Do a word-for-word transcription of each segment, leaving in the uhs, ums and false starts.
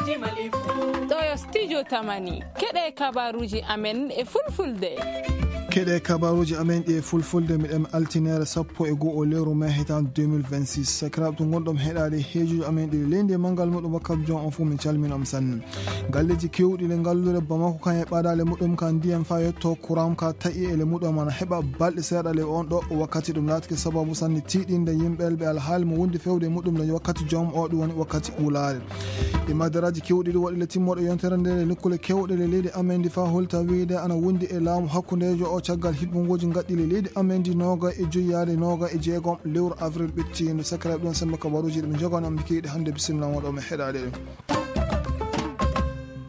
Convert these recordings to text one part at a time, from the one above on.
Ɗo yo studio Tamani. Keɗe kabaruuji amen e fulfulde. Keɗe kabaruuji amen ɗi e fulfulde, miɗen altineere sappo e go'o lewru mai hitaande deux mille vingt-six. Sakiraaɓe to ngonɗon heɗaade heejuuji amen ɗi leydi e manngal muɗum wakkati joom on fof, min calmina on sanne. Galleeji keewɗi le ngalluure Bamako kan e ɓadaale muɗum kan ndiyam faa yetto kuram ka taƴi e le muɗum ana heɓa balɗe seeɗa le on ɗo wakkati. Ɗum laatike sababu sanne tiiɗinde yimɓe ɓe alhaali mo wondi fewde e muɗum le wakkati joom o, ɗum woni wakkati wulaare. E madaraaji keewɗi ɗi waɗi le timmooɗe yontere nde le nokkule keewɗe le leydi amen ndi faa holta wiyde ana wondi e laamu hakkundeejo o caggal hiɓɓungooji ngaɗɗi le leydi amen ndi nooga e joyi yaade nooga e jeegom lewru avril ɓettiindu. Sakiraaɓe ɗum sembe kabaruuji ɗi ɓe njogano mi kiiɗe hannde bisimilla moɗo mi heɗaade ɗum.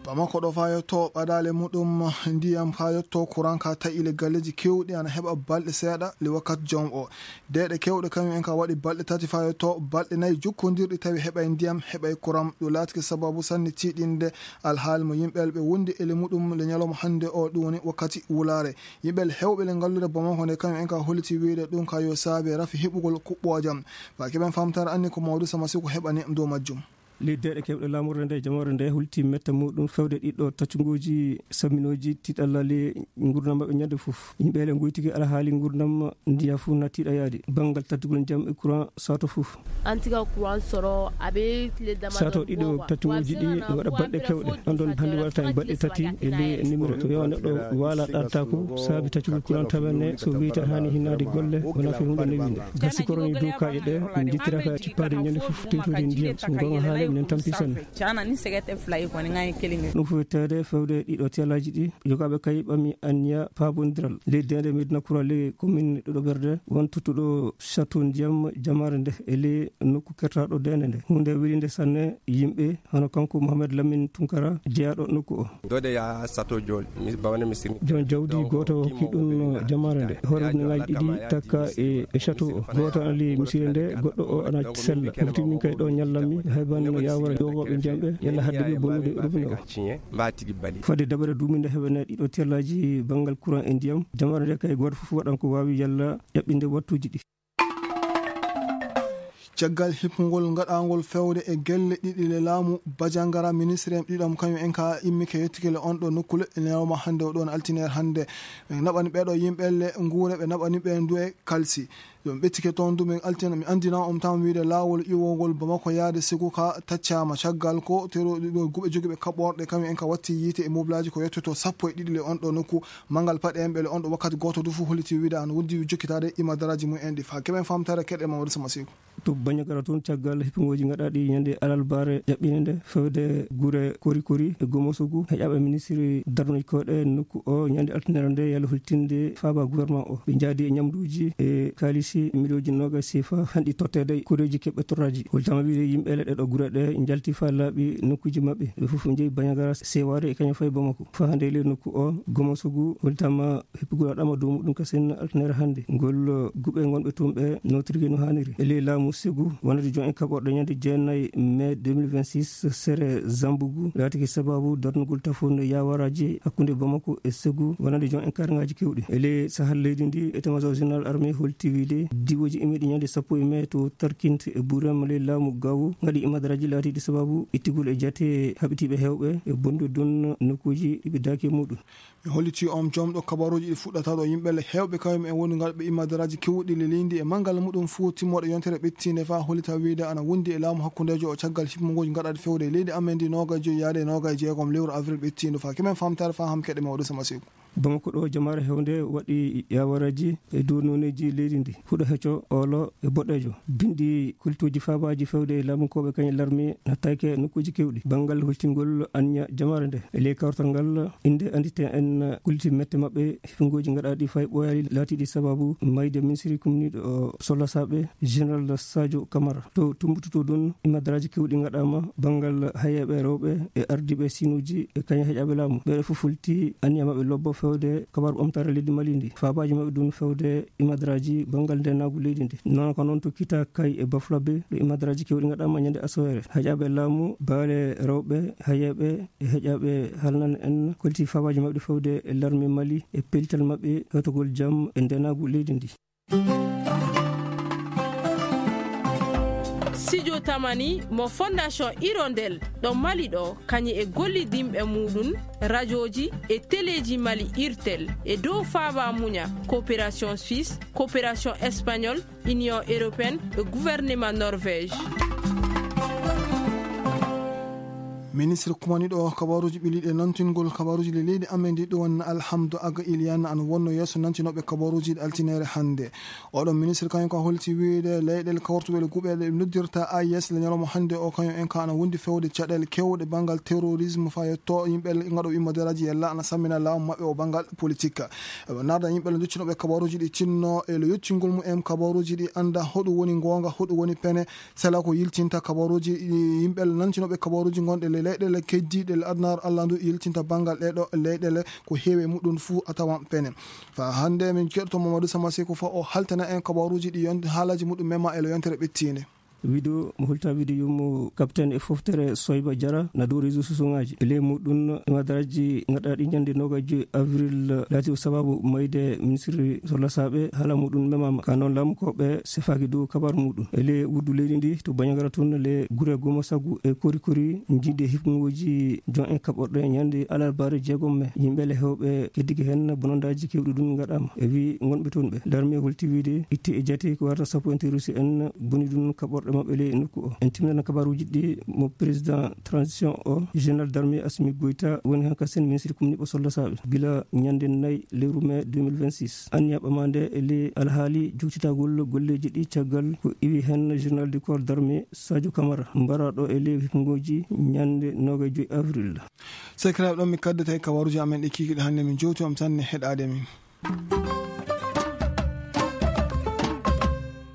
Bamako ɗo faa yetto ɓadaale muɗum ndiyam faa yetto kuran ka taƴi le galleeji keewɗi ana heɓa balɗe seeɗa le wakkati joom o. Deeɗe keewɗe kañum en ka waɗi balɗe tati faa yetto balɗe nayi jokkondirɗi tawi heɓay ndiyam, heɓay kuram. Ɗum laatike sababu sanne tiiɗinde alhaali mo yimɓe ɓe wondi e le muɗum le ñalawma hannde o, ɗum woni wakkati wulaare. Yimɓe heewɓe le ngalluure Bamako nde kañum en ka holliti wiyde ɗum ka yo saabe rafi heɓugol kuɓɓoojam. Faa keɓen famtaare anni ko Mawdu Sama Siko heɓani dow majjum. Ley deeɗe keewɗe laamorde nde, jamaare nde hulti metta muɗum fewde ɗiɗo taccunguuji samminooji tiiɗalla ley ngurndan maɓɓe ñande fof. Yimɓe le ngoytiki alhaali ngurndan ndiya fof na tiiɗa yaade. Banngal tattugol ndiyam e courant sato fof. Antiga courant soro aɓe tile dama sato ɗiɗo taccunguuji ɗi no waɗa balɗe keewɗe. Ɗon ɗon hannde waɗata en balɗe tati e ley numéro. So yo neɗɗo waala ɗattaako saabi taccugol courant tawa ne so wiyte haani hinnaade golle wona fi hunde newinde. Gasi koroni dow kaaƴe ɗe, min njittira ka cippaade ñande fof tewtude ndiyam. So ngonga haale, minen tampi sanne. Cana ni segete fulayi koni ngayi kelimi. Ɗum fof tawde fewde ɗiɗo tiyalaaji ɗi, yogaaɓe kay ɓami anniya paabondiral. Ley deende Medina Kura ley commune ɗiɗo ɓerde, won tuttuɗo château ndiyam jamaare nde e ley nokku kertaaɗo deende nde. Huunde welinde sanne yimɓe, hono kanko Mohamed Lamine Tunkara, jeyaaɗo nokku o. Dode ya sato jol, mi bawane mi sirni. Jon jawdi gooto hokki ɗum jamaare nde. Hoore ujunaaji ɗiɗi takka e, e château o. Gooto ana ley misire nde, goɗɗo o ana sella. Ngati min kay ɗo ñallammi, hay ban yawara yogooɓe ndiyam ɓe, yalla hadde ɓe bonnude robinet o. Mba tigi bali. Fodde dabare duuminde heɓene ɗiɗo tellaaji banngal courant e ndiyam. Jamaare nde kay gooto fof waɗan ko waawi yalla ƴaɓɓinde wattuuji ɗi. Caggal hippugol ngaɗaangol fewde e gelle ɗiɗi le laamu Bajangara, ministre en ɗiɗam kañum en ka immike yettike le on ɗo nokkule ñalawma hannde o ɗon altineer hannde. Ɓe naɓani ɓeeɗo yimɓe le nguure, ɓe naɓani ɓe nduwe kalsi. Ɗum ɓettike toon du min altina, mi anndina on tan wiyde laawol iwogol Bamako yaade Segu ka taccaama. Caggal ko teroɗi ɗo guɓe jogiiɓe kaɓorɗe kañum en ka watti yiite e moblaaji ko yettoto sappo e ɗiɗi le on ɗo nokku. Manngal paɗe en ɓele on ɗo wakkati gooto du fof holliti wiyde an wondi jokkitaade imadaraaji mum en ɗi faa keɓen famtaare keɗe Mamadou Sama Seeku. To Bañagara toon, caggal hippugooji ngaɗaaɗi ñande alarbaare jaɓɓiinde nde, fewde gure Kori Kori e Gomosogu, heƴaaɓe ministiri darnuji koɗe nokku o ñande altine nde, yalla hultinde faaba gouvernement o. Ɓe njaadi e ñamduuji e kaalisi miliyonji noogaas sefa hanɗi totteede koreeji keɓɓe torraaji. Holtama wiyde yimɓe leɗɗe ɗo gure ɗe njalti faa laaɓi nokkuuji maɓɓe. Ɓe fof njehi Bañagara sewaare e kañum fayi Bamako. Faa hannde e ley nokku o, Gomosogu holtama hippugol waɗaama dow muɗum kasen altinere hannde. Ngol guɓe ngonɓe toon ɓe nootirgol no haaniri. E ley laamu Segu, wonande joom en kaɓorɗe ñande jeenayi mai deux mille vingt-six, sere Zambugu, laatiki sababu darnugol tafunde yawaraaji hakkunde Bamako e Segu, wonande joom en karngaaji keewɗi. E ley sahal leydi ndi, état-major général armée holti wiyde diwooji immiiɗi ñande sappo e mai to Tarkint e Burem ley laamu Gawo, ngaɗi imadaraaji laatiiɗi sababu ittigol e jate haɓitiiɓe heewɓe e bonnude ɗum nokkuuji ɗi ɓe daaki e muɗum. Mi holliti on jomɗo kabaruuji ɗi fuɗɗata ɗo yimɓe le heewɓe kañum en woni ngalɓe imadaraaji keewɗi le leydi e manngal muɗum fuu timmooɗe yontere ɓettiinde faa hollita wiyde ana wondi e laamu hakkundeejo o caggal hippugooji ngaɗaaɗi fewde e leydi amen ndi noogaas e joyi yaade e noogaas e jeegom lewru avril ɓettiindu faa keɓen famtaare faa ham keɗe Mawɗo Sama Seeku. Bamako ɗo jamaare heewnde waɗi yawaraaji e dow nooneeji leydi ndi. Huɗo hecco, olo e boɗeejo. Binndi kultuuji faabaaji fewde e laamunkooɓe kañum larmi nattaaki e nokkuuji keewɗi. Banngal hultingol anniya jamaare nde. E ley kawtal ngal, innde anndite en kulti mette maɓɓe, hippugooji ngaɗaaɗi fay ɓooyaali laatiiɗi sababu mayde ministiri kumniiɗo o Solasaaɓe, Général Sadio Camara. To tumbututo ɗum, imadaraaji keewɗi ngaɗaama banngal hayeeɓe rewɓe e ardiiɓe siinuuji e kañum heƴaaɓe laamu. Ɓeeɗo fof hulti anniya maɓɓe lobbo fewde kabaru ɓamtaare leydi Mali ndi. Faabaaji maɓɓe ɗum fewde imadaraaji banngal ndeenaagu leydi ndi. Noon ko noon to Kita Kay e Bafulabe, ɗo imadaraaji keewɗi ngaɗaama ñande asoweere. Heƴaaɓe laamu, baale rewɓe, hayeeɓe e heƴaaɓe halnan en kolti faabaaji maɓɓe fewde e larme Mali e pellital maɓɓe hewtogol jam e ndeenaagu leydi ndi. Sijo tamani mo Fondation Hirondelle ɗo Mali ɗo, kañum e gollidinɓe muɗum, rajooji e teleeji Mali, Irtel, e dow faaba muña, coopération suisse, coopération espagnole, Union européenne e gouvernement Norvège. Ministre kumaniiɗo kabaaruuji ɓe leyɗe nantingol kabaaruuji ɗi leydi amen ndi ɗon Alhamdu Aga Iliana an wonno yeeso nantinooɓe kabaaruuji ɗi altine hannde. Oɗon ministre kañum ko holti wiyde leyɗeele kawrutuɗe e guuɓe ɗe noddirta A I S le ñalawma hannde o, kañum en ka ana wondi fewde caɗeele kewɗe banngal terrorisme faa yetto yimɓe ngaɗo immoderaaji yalla ana sammina laamu maɓɓe o banngal politique. Eɓe narda yimɓe le nduccunoɓe kabaaruuji ɗi tinno e le yottingol mum en kabaaruuji ɗi annda hoɗum woni ngoonga, hoɗum woni pene, sela ko yiltinta kabaaruuji ɗi yimɓe le nantinooɓe kabaaruuji ngonɗe le leyɗeele keddiiɗe le adunaaru Allah ndu yiltinta banngal ɗeɗo leyɗeele ko heewi e muɗum fuu a tawan pene. Fa hannde min keɗoto Mamadou Sama Sekou fa o haltana en kabaaruuji ɗi yonti haalaaji muɗum mema e le yontere ɓettiinde. Wido mo hulta wido yumo capitaine e foftere Soyba Jara na dow réseau sociaux ngaji. E ley muɗum imadaraaji ngaɗaaɗi ñande noga joyi avril laati o sababu mayde ministre solla saaɓe haala muɗum memama. Ka noon laamu ko ɓe sefaaki dow kabaru muɗum. E ley wuddu leydi ndi to Bandiagara toon le gure goma sagu e kori kori jiide hikmooji jon en kaɓorɗe ñande alarbaare jeegom me. Yimɓe le hewɓe keddike heen bonondaaji kewɗi ɗum ngaɗaama. E wi ngonɓe toon ɓe. Darmi e holti wiide itti e jate ko warata sappo en terroriste en boni ɗum kaɓorɗe maɓɓe ley nokku o. En timminana kabaruuji ɗi mo président transition o, général d'armée Assimi Goïta woni han kasen ministre kumniɓe solla saaɓe. Gila ñande nayi lewru mai deux mille vingt-six. Anniya ɓamande e ley alhaali juktitagol golleeji ɗi caggal ko iwi heen général du corps d'armée Sadio Camara, mbaraɗo e ley hikmooji ñande noga joyi avril. Sekiraaɓe ɗon mi kaddata e kabaruuji amen ɗi kikiɗe hannde min jowti on tan ne heɗaade min.